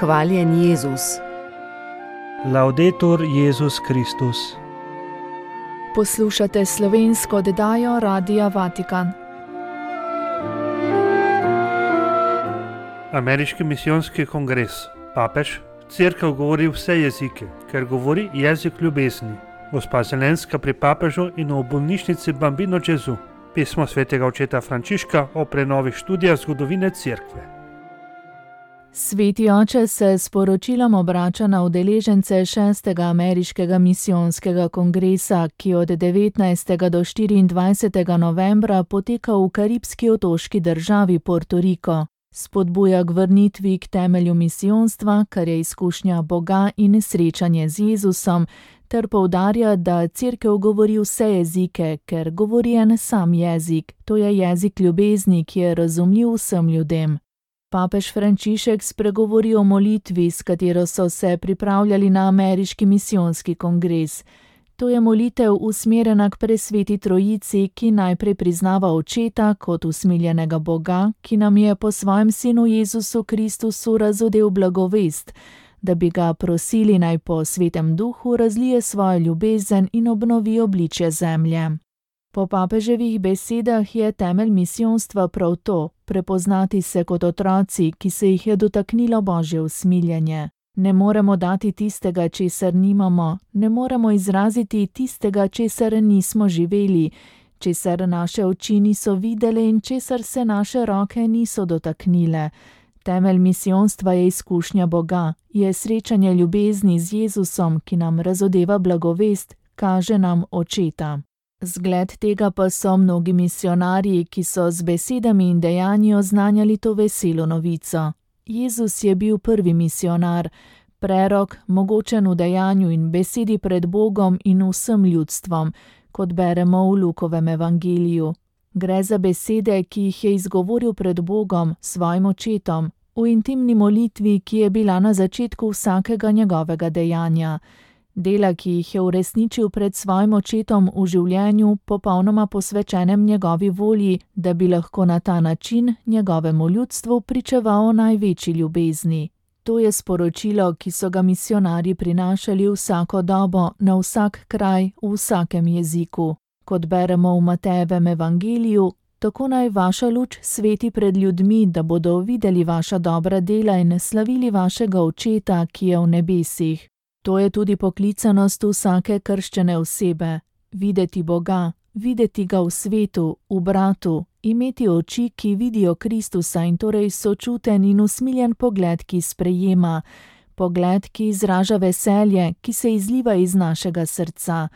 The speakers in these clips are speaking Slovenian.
Hvaljen Jezus. Laudetur Jezus Kristus. Poslušate slovensko oddajo Radia Vatikan. Ameriški misijonski kongres. Papež. Cerkev govori vse jezike, ker govori jezik ljubezni. Gospa Zelenska pri papežu in v bolnišnici Bambino Gesù. Pismo svetega očeta Frančiška o prenovi študija zgodovine cerkve. Sveti oče se s poročilom obrača na udeležence 6. ameriškega misijonskega kongresa, ki od 19. do 24. novembra poteka v karibski otoški državi Porto Rico. Spodbuja k vrnitvi k temelju misijonstva, kar je izkušnja Boga in srečanje z Jezusom, ter poudarja, da cerkev govori vse jezike, ker govori en sam jezik, to je jezik ljubezni, ki je razumljiv vsem ljudem. Papež Frančišek spregovori o molitvi, s katero so se pripravljali na ameriški misijonski kongres. To je molitev usmerjena k presveti trojici, ki najprej priznava očeta kot usmiljenega Boga, ki nam je po svojem sinu Jezusu Kristusu razodel blagovest, da bi ga prosili naj po svetem duhu razlije svojo ljubezen in obnovi obličje zemlje. Po papeževih besedah je temelj misijonstva prav to, prepoznati se kot otroci, ki se jih je dotaknilo Božje usmiljenje. Ne moremo dati tistega, česar nimamo, ne moremo izraziti tistega, česar nismo živeli, česar naše oči niso videle in česar se naše roke niso dotaknile. Temelj misijonstva je izkušnja Boga, je srečanje ljubezni z Jezusom, ki nam razodeva blagovest, kaže nam očeta. Zgled tega pa so mnogi misionarji, ki so z besedami in dejanji oznanjali to veselo novico. Jezus je bil prvi misionar, prerok, mogočen v dejanju in besedi pred Bogom in vsem ljudstvom, kot beremo v Lukovem evangeliju. Gre za besede, ki jih je izgovoril pred Bogom, svojim očetom, v intimni molitvi, ki je bila na začetku vsakega njegovega dejanja. Dela, ki jih je uresničil pred svojim očetom v življenju, popolnoma posvečenem njegovi volji, da bi lahko na ta način njegovemu ljudstvu pričeval o največji ljubezni. To je sporočilo, ki so ga misionarji prinašali vsako dobo, na vsak kraj, v vsakem jeziku. Kot beremo v Matejevem evangeliju, tako naj vaša luč sveti pred ljudmi, da bodo videli vaša dobra dela in slavili vašega očeta, ki je v nebesih. To je tudi poklicanost vsake krščene osebe. Videti Boga, videti ga v svetu, v bratu, imeti oči, ki vidijo Kristusa in torej sočuten in usmiljen pogled, ki sprejema, pogled, ki izraža veselje, ki se izliva iz našega srca.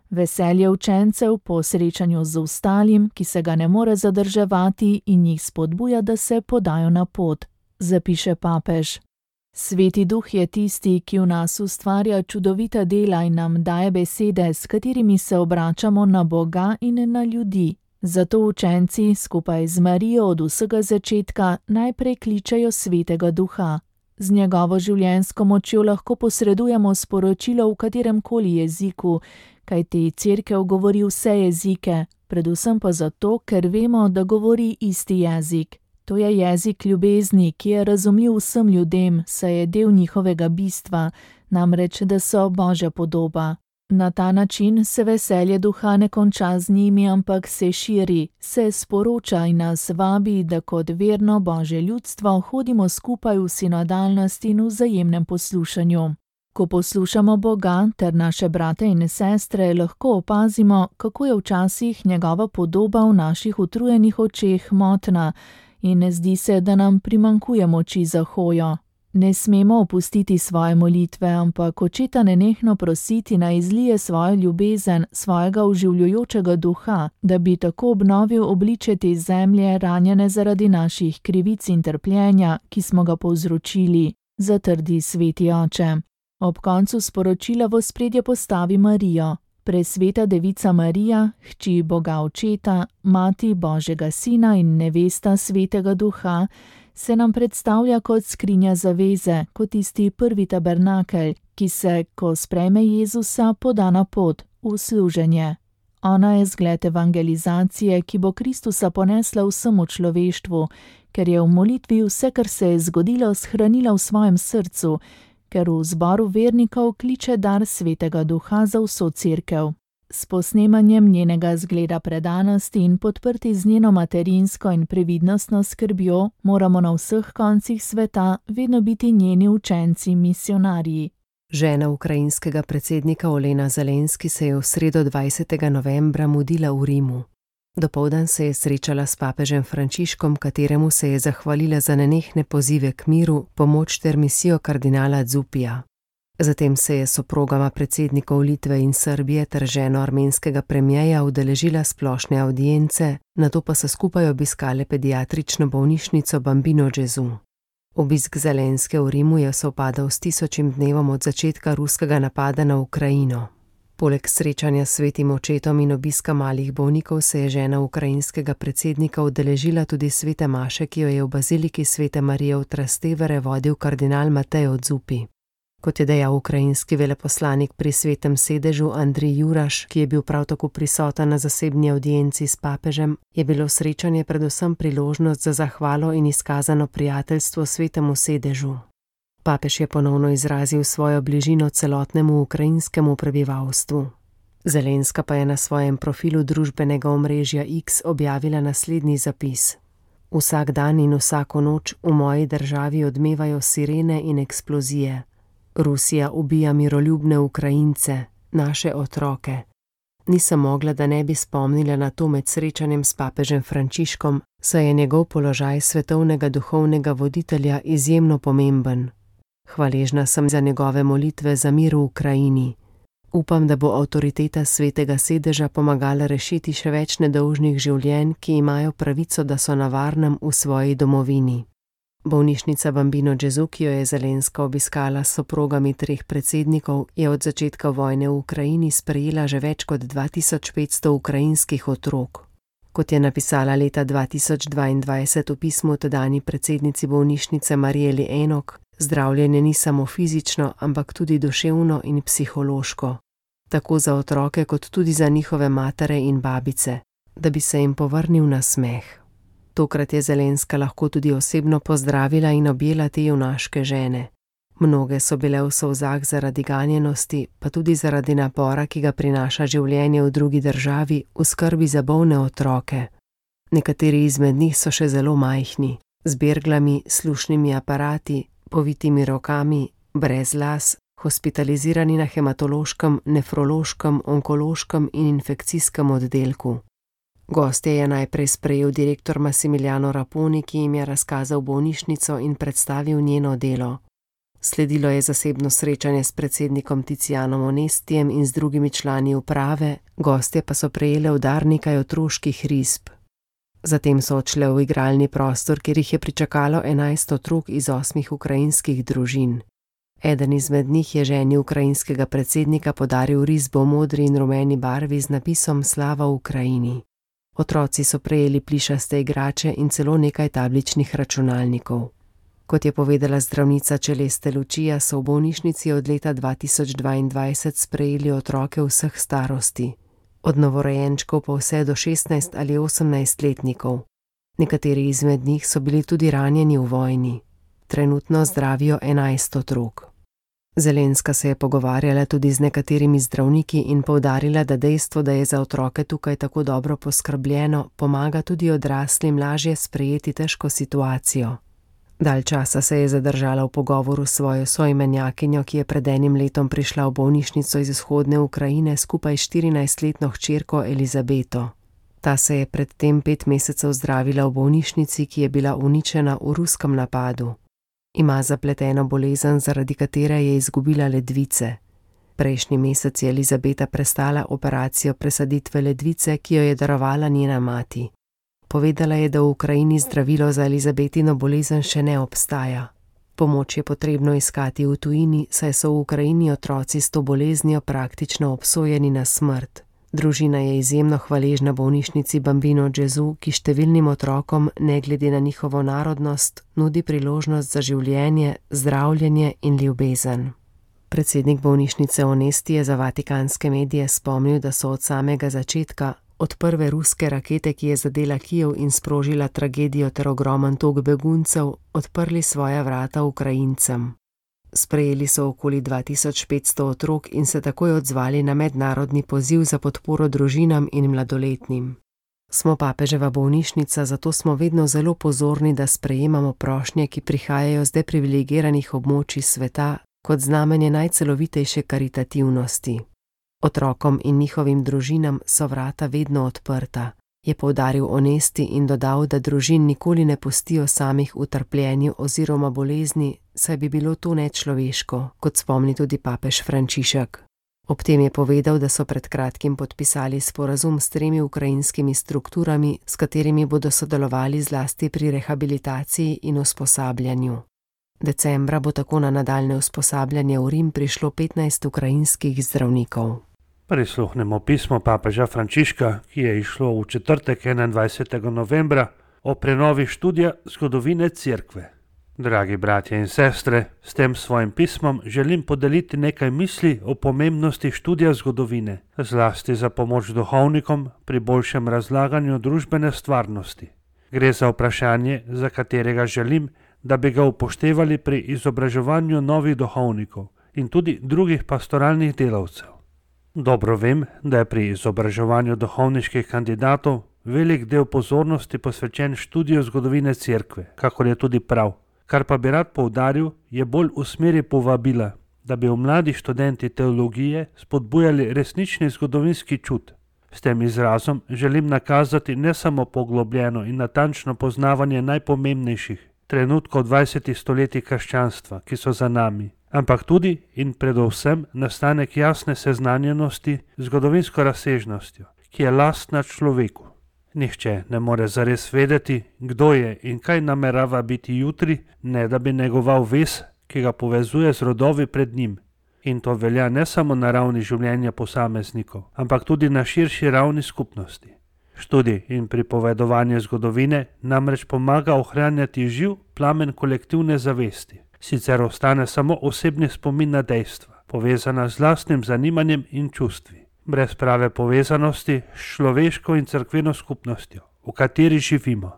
Veselje učencev po srečanju z ostalim, ki se ga ne more zadrževati in jih spodbuja, da se podajo na pot, zapiše papež. Sveti duh je tisti, ki v nas ustvarja čudovita dela in nam daje besede, s katerimi se obračamo na Boga in na ljudi. Zato učenci skupaj z Marijo od vsega začetka najprej kličejo svetega duha. Z njegovo življenjsko močjo lahko posredujemo sporočilo v katerem koli jeziku, kajti cerkev govori vse jezike, predvsem pa zato, ker vemo, da govori isti jezik. To je jezik ljubezni, ki je razumljiv vsem ljudem, saj je del njihovega bistva, namreč, da so Božja podoba. Na ta način se veselje duha ne konča z njimi, ampak se širi, se sporoča in nas vabi, da kot verno Božje ljudstvo hodimo skupaj v sinodalnosti in vzajemnem poslušanju. Ko poslušamo Boga ter naše brate in sestre, lahko opazimo, kako je včasih njegova podoba v naših utrujenih očeh motna, in zdi se, da nam primanjkuje moči za hojo. Ne smemo opustiti svoje molitve, ampak očeta nenehno prositi naj izlije svojo ljubezen, svojega oživljujočega duha, da bi tako obnovil obličje te zemlje, ranjene zaradi naših krivic in trpljenja, ki smo ga povzročili, zatrdi sveti oče. Ob koncu sporočila v ospredje postavi Marijo. Presveta devica Marija, hči Boga Očeta, mati Božjega Sina in nevesta Svetega Duha, se nam predstavlja kot skrinja zaveze, kot tisti prvi tabernakelj, ki se, ko sprejme Jezusa, poda na pot, v služenje. Ona je zgled evangelizacije, ki bo Kristusa ponesla vsemu človeštvu, ker je v molitvi vse, kar se je zgodilo, shranila v svojem srcu, ker v zboru vernikov kliče dar Svetega Duha za vso cerkev. S posnemanjem njenega zgleda predanosti in podprti z njeno materinsko in previdnostno skrbjo moramo na vseh koncih sveta vedno biti njeni učenci misionarji. Žena ukrajinskega predsednika Olena Zelenski se je v sredo 20. novembra mudila v Rimu. Dopoldan se je srečala s papežem Frančiškom, kateremu se je zahvalila za nenehne pozive k miru, pomoč ter misijo kardinala Zupija. Zatem se je soprogama predsednikov Litve in Srbije ter ženo armenskega premierja udeležila splošne avdience, nato pa so skupaj obiskale pediatrično bolnišnico Bambino Gesù. Obisk Zelenske v Rimu je sovpadal s 1000. dnevom od začetka ruskega napada na Ukrajino. Poleg srečanja s svetim očetom in obiska malih bolnikov se je žena ukrajinskega predsednika udeležila tudi svete maše, ki jo je v baziliki Svete Marije v Trastevere vodil kardinal Mateo Zuppi. Kot je dejal ukrajinski veleposlanik pri Svetem sedežu Andrij Juraš, ki je bil prav tako prisoten na zasebni avdienci s papežem, je bilo srečanje predvsem priložnost za zahvalo in izkazano prijateljstvo Svetemu sedežu. Papež je ponovno izrazil svojo bližino celotnemu ukrajinskemu prebivalstvu. Zelenska pa je na svojem profilu družbenega omrežja X objavila naslednji zapis. Vsak dan in vsako noč v moji državi odmevajo sirene in eksplozije. Rusija ubija miroljubne Ukrajince, naše otroke. Nisem mogla, da ne bi spomnila na to med srečanjem s papežem Frančiškom, saj je njegov položaj svetovnega duhovnega voditelja izjemno pomemben. Hvaležna sem za njegove molitve za mir v Ukrajini. Upam, da bo avtoriteta Svetega sedeža pomagala rešiti še več nedolžnih življenj, ki imajo pravico, da so na varnem v svoji domovini. Bolnišnica Bambino Gesù, ki jo je Zelenska obiskala s soprogami 3 predsednikov, je od začetka vojne v Ukrajini sprejela že več kot 2500 ukrajinskih otrok. Kot je napisala leta 2022 v pismu tedanji predsednici bolnišnice Marijeli Enok, zdravljenje ni samo fizično, ampak tudi duševno in psihološko. Tako za otroke kot tudi za njihove matere in babice, da bi se jim povrnil nasmeh. Tokrat je Zelenska lahko tudi osebno pozdravila in objela te junaške žene. Mnoge so bile v solzah zaradi ganjenosti, pa tudi zaradi napora, ki ga prinaša življenje v drugi državi v skrbi za bolne otroke. Nekateri izmed njih so še zelo majhni, z berglami, slušnimi aparati, povitimi rokami, brez las, hospitalizirani na hematološkem, nefrološkem, onkološkem in infekcijskem oddelku. Gostje je najprej sprejel direktor Massimiliano Raponi, ki jim je razkazal bolnišnico in predstavil njeno delo. Sledilo je zasebno srečanje s predsednikom Tizianom Onestijem in z drugimi člani uprave, gostje pa so prejele v dar nekaj otroških risb. Zatem so odšle v igralni prostor, kjer jih je pričakalo 11 otrok iz 8 ukrajinskih družin. Eden izmed njih je ženi ukrajinskega predsednika podaril risbo v modri in rumeni barvi z napisom Slava Ukrajini. Otroci so prejeli plišaste igrače in celo nekaj tabličnih računalnikov. Kot je povedala zdravnica Celeste Lučija, so v bolnišnici od leta 2022 sprejeli otroke vseh starosti, od novorojenčkov pa vse do 16 ali 18 letnikov. Nekateri izmed njih so bili tudi ranjeni v vojni. Trenutno zdravijo 11 otrok. Zelenska se je pogovarjala tudi z nekaterimi zdravniki in poudarila, da dejstvo, da je za otroke tukaj tako dobro poskrbljeno, pomaga tudi odraslim lažje sprejeti težko situacijo. Dalj časa se je zadržala v pogovoru s svojo soimenjakinjo, ki je pred enim letom prišla v bolnišnico iz vzhodne Ukrajine skupaj s 14-letno hčerko Elizabeto. Ta se je pred tem 5 mesecev zdravila v bolnišnici, ki je bila uničena v ruskem napadu. Ima zapleteno bolezen, zaradi katere je izgubila ledvice. Prejšnji mesec je Elizabeta prestala operacijo presaditve ledvice, ki jo je darovala njena mati. Povedala je, da v Ukrajini zdravilo za Elizabetino bolezen še ne obstaja. Pomoč je potrebno iskati v tujini, saj so v Ukrajini otroci s to boleznijo praktično obsojeni na smrt. Družina je izjemno hvaležna bolnišnici Bambino Gesù, ki številnim otrokom, ne glede na njihovo narodnost, nudi priložnost za življenje, zdravljenje in ljubezen. Predsednik bolnišnice Onesti je za vatikanske medije spomnil, da so od samega začetka, od prve ruske rakete, ki je zadela Kijev in sprožila tragedijo ter ogromen tok beguncev, odprli svoja vrata Ukrajincem. Sprejeli so okoli 2500 otrok in se takoj odzvali na mednarodni poziv za podporo družinam in mladoletnim. Smo papeževa bolnišnica, zato smo vedno zelo pozorni, da sprejemamo prošnje, ki prihajajo z deprivilegiranih območij sveta, kot znamenje najcelovitejše karitativnosti. Otrokom in njihovim družinam so vrata vedno odprta, je poudaril Onesti in dodal, da družin nikoli ne pustijo samih v trpljenju oziroma bolezni, saj bi bilo to nečloveško, kot spomni tudi papež Frančišek. Ob tem je povedal, da so pred kratkim podpisali sporazum s 3 ukrajinskimi strukturami, s katerimi bodo sodelovali zlasti pri rehabilitaciji in usposabljanju. Decembra bo tako na nadaljne usposabljanje v Rim prišlo 15 ukrajinskih zdravnikov. Prisluhnemo pismo papeža Frančiška, ki je išlo v četrtek 21. novembra o prenovi študija zgodovine Cerkve. Dragi bratje in sestre, s tem svojim pismom želim podeliti nekaj misli o pomembnosti študija zgodovine, zlasti za pomoč duhovnikom pri boljšem razlaganju družbene stvarnosti. Gre za vprašanje, za katerega želim, da bi ga upoštevali pri izobraževanju novih duhovnikov in tudi drugih pastoralnih delavcev. Dobro vem, da je pri izobraževanju duhovniških kandidatov velik del pozornosti posvečen študiju zgodovine Cerkve, kakor je tudi prav. Kar pa bi rad poudaril, je bolj v smeri povabila, da bi v mladi študenti teologije spodbujali resnični zgodovinski čut. S tem izrazom želim nakazati ne samo poglobljeno in natančno poznavanje najpomembnejših trenutkov 20. stoletij krščanstva, ki so za nami, ampak tudi in predvsem nastanek jasne seznanjenosti z zgodovinsko razsežnostjo, ki je lastna človeku. Nihče ne more zares vedeti, kdo je in kaj namerava biti jutri, ne da bi negoval vez, ki ga povezuje z rodovi pred njim. In to velja ne samo na ravni življenja posameznikov, ampak tudi na širši ravni skupnosti. Študij in pripovedovanje zgodovine namreč pomaga ohranjati živ plamen kolektivne zavesti. Sicer ostane samo osebni spomin na dejstva, povezana z lastnim zanimanjem in čustvi. Brez prave povezanosti s človeško in cerkveno skupnostjo, v kateri živimo.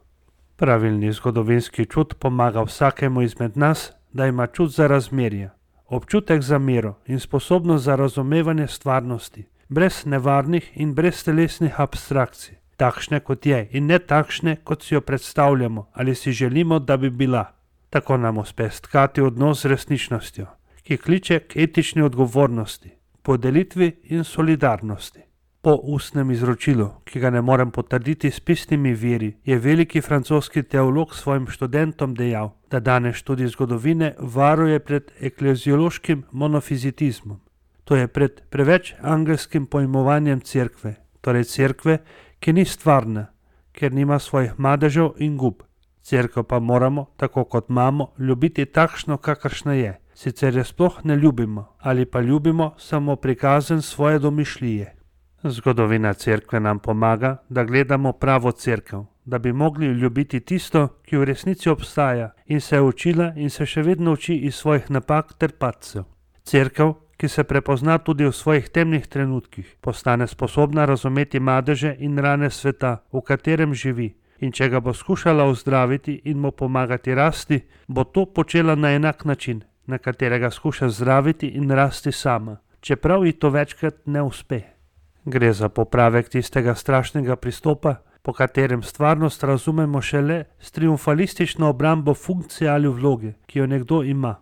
Pravilni zgodovinski čut pomaga vsakemu izmed nas, da ima čut za razmerje, občutek za mero in sposobnost za razumevanje stvarnosti, brez nevarnih in brez telesnih abstrakcij, takšne kot je in ne takšne, kot si jo predstavljamo ali si želimo, da bi bila. Tako nam uspe stkati odnos z resničnostjo, ki kliče k etični odgovornosti, podelitvi in solidarnosti. Po ustnem izročilu, ki ga ne morem potrditi s pisnimi viri, je veliki francoski teolog svojim študentom dejal, da danes študij zgodovine varuje pred ekleziološkim monofizitizmom. To je pred preveč angelskim pojmovanjem cerkve, torej cerkve, ki ni stvarna, ker nima svojih madežev in gub. Cerkev pa moramo, tako kot imamo, ljubiti takšno, kakršna je. Sicer je sploh ne ljubimo, ali pa ljubimo samo prikazen svoje domišljije. Zgodovina cerkve nam pomaga, da gledamo pravo cerkev, da bi mogli ljubiti tisto, ki v resnici obstaja in se je učila in se še vedno uči iz svojih napak ter padcev. Cerkev, ki se prepozna tudi v svojih temnih trenutkih, postane sposobna razumeti madeže in rane sveta, v katerem živi. In če ga bo skušala ozdraviti in mu pomagati rasti, bo to počela na enak način, na katerega skuša zdraviti in rasti sama, čeprav ji to večkrat ne uspe. Gre za popravek tistega strašnega pristopa, po katerem stvarnost razumemo šele s triumfalistično obrambo funkcije ali vloge, ki jo nekdo ima.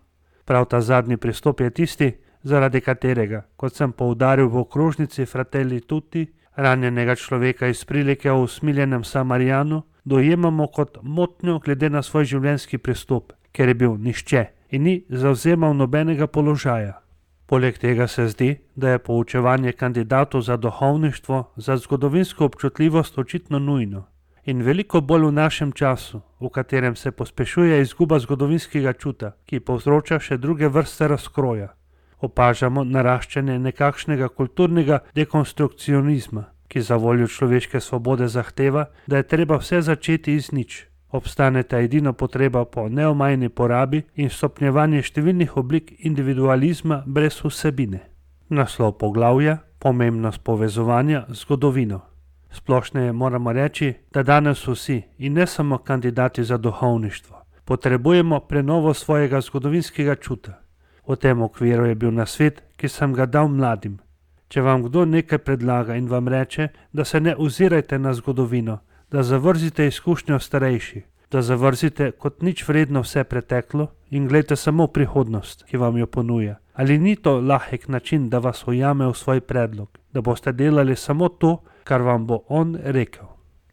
Prav ta zadnji pristop je tisti, zaradi katerega, kot sem poudaril v okrožnici Fratelli Tutti, ranjenega človeka iz prilike o usmiljenem Samarijanu dojemamo kot motnjo glede na svoj življenjski pristop, ker je bil nihče in ni zavzemal nobenega položaja. Poleg tega se zdi, da je poučevanje kandidatov za duhovništvo, za zgodovinsko občutljivost očitno nujno. In veliko bolj v našem času, v katerem se pospešuje izguba zgodovinskega čuta, ki povzroča še druge vrste razkroja. Opažamo naraščanje nekakšnega kulturnega dekonstrukcionizma, ki za voljo človeške svobode zahteva, da je treba vse začeti iz nič. Obstaneta edino potreba po neomajni porabi in stopnjevanje številnih oblik individualizma brez vsebine. Naslov poglavja: pomembnost povezovanja z zgodovino. Splošneje moramo reči, da danes vsi, in ne samo kandidati za duhovništvo, potrebujemo prenovo svojega zgodovinskega čuta. V tem okviru je bil nasvet, ki sem ga dal mladim. Če vam kdo nekaj predlaga in vam reče, da se ne ozirajte na zgodovino, da zavrzite izkušnjo starejših, da zavrzite kot nič vredno vse preteklo in gledajte samo v prihodnost, ki vam jo ponuja. Ali ni to lahek način, da vas ujame v svoj predlog, da boste delali samo to, kar vam bo on rekel?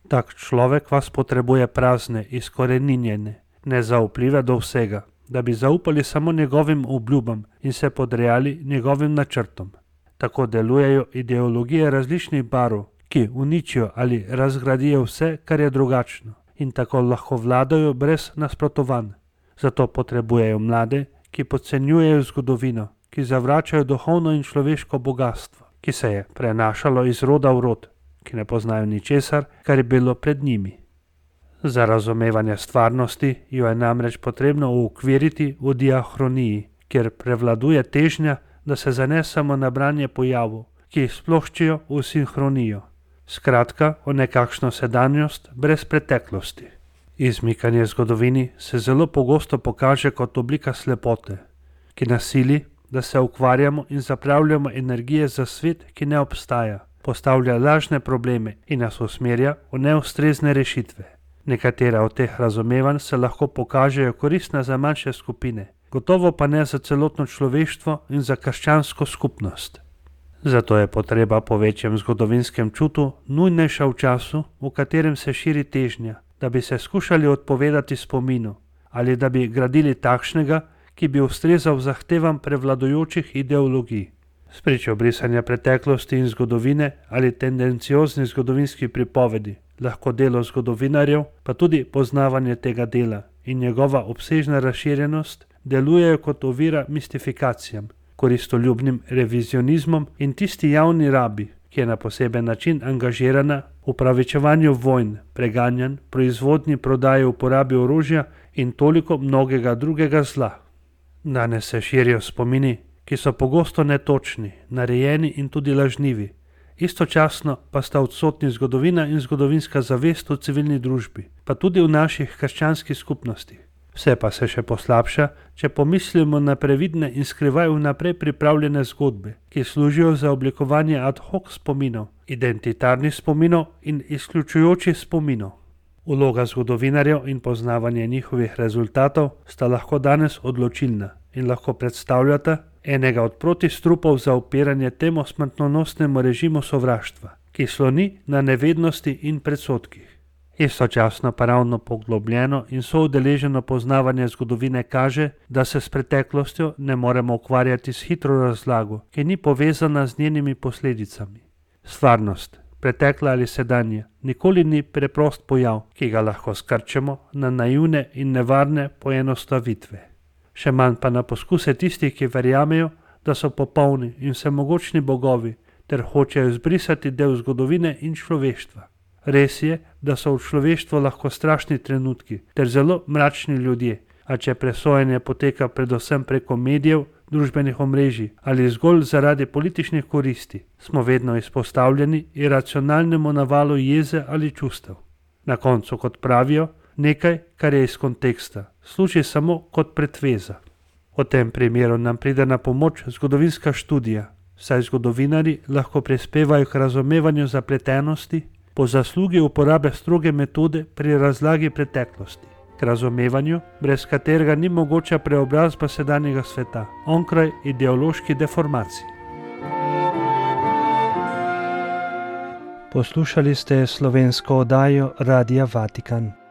Tak človek vas potrebuje prazne, izkoreninjene, nezaupljive do vsega, da bi zaupali samo njegovim obljubam in se podrejali njegovim načrtom. Tako delujejo ideologije različnih barv, ki uničijo ali razgradijo vse, kar je drugačno, in tako lahko vladajo brez nasprotovanj. Zato potrebujejo mlade, ki podcenjujejo zgodovino, ki zavračajo duhovno in človeško bogatstvo, ki se je prenašalo iz roda v rod, ki ne poznajo ničesar, kar je bilo pred njimi. Za razumevanje stvarnosti jo je namreč potrebno uokviriti v diahroniji, kjer prevladuje težnja, da se zanesemo na branje pojavov, ki jih sploščijo v sinhronijo. Skratka, o nekakšno sedanjost brez preteklosti. Izmikanje zgodovini se zelo pogosto pokaže kot oblika slepote, ki nas sili, da se ukvarjamo in zapravljamo energije za svet, ki ne obstaja, postavlja lažne probleme in nas usmerja v neustrezne rešitve. Nekatera od teh razumevanj se lahko pokažejo koristna za manjše skupine, gotovo pa ne za celotno človeštvo in za krščansko skupnost. Zato je potreba po večjem zgodovinskem čutu nujnejša v času, v katerem se širi težnja, da bi se skušali odpovedati spominu ali da bi gradili takšnega, ki bi ustrezal zahtevam prevladujočih ideologij. Spričo brisanja preteklosti in zgodovine ali tendenciozni zgodovinski pripovedi, lahko delo zgodovinarjev, pa tudi poznavanje tega dela in njegova obsežna razširjenost delujejo kot ovira mistifikacijam, koristoljubnim revizionizmom in tisti javni rabi, ki je na poseben način angažirana v upravičevanju vojn, preganjanj, proizvodnji, prodaji, uporabi orožja in toliko mnogega drugega zla. Danes se širijo spomini, ki so pogosto netočni, narejeni in tudi lažnivi. Istočasno pa sta odsotni zgodovina in zgodovinska zavest v civilni družbi, pa tudi v naših krščanskih skupnostih. Vse pa se še poslabša, če pomislimo na previdne in skrivaj vnaprej pripravljene zgodbe, ki služijo za oblikovanje ad hoc spominov, identitarnih spominov in izključujočih spominov. Vloga zgodovinarjev in poznavanje njihovih rezultatov sta lahko danes odločilna in lahko predstavljata enega od protistrupov za upiranje temu smrtonosnemu režimu sovraštva, ki sloni na nevednosti in predsodkih. Istočasno pa ravno poglobljeno in soudeleženo poznavanje zgodovine kaže, da se s preteklostjo ne moremo ukvarjati s hitro razlago, ki ni povezana z njenimi posledicami. Stvarnost, pretekla ali sedanja, nikoli ni preprost pojav, ki ga lahko skrčemo na naivne in nevarne poenostavitve. Še manj pa na poskuse tistih, ki verjamejo, da so popolni in vsemogočni bogovi, ter hočejo izbrisati del zgodovine in človeštva. Res je, da so v človeštvu lahko strašni trenutki ter zelo mračni ljudje, a če presojanje poteka predvsem preko medijev, družbenih omrežij ali zgolj zaradi političnih koristi, smo vedno izpostavljeni iracionalnemu navalu jeze ali čustev. Na koncu, kot pravijo, nekaj, kar je iz konteksta, služi samo kot pretveza. V tem primeru nam pride na pomoč zgodovinska študija, saj zgodovinarji lahko prispevajo k razumevanju zapletenosti po zaslugi uporabe stroge metode pri razlagi preteklosti, k razumevanju, brez katerega ni mogoča preobrazba sedanjega sveta, onkraj ideološki deformaciji. Poslušali ste slovensko oddajo Radia Vatikan.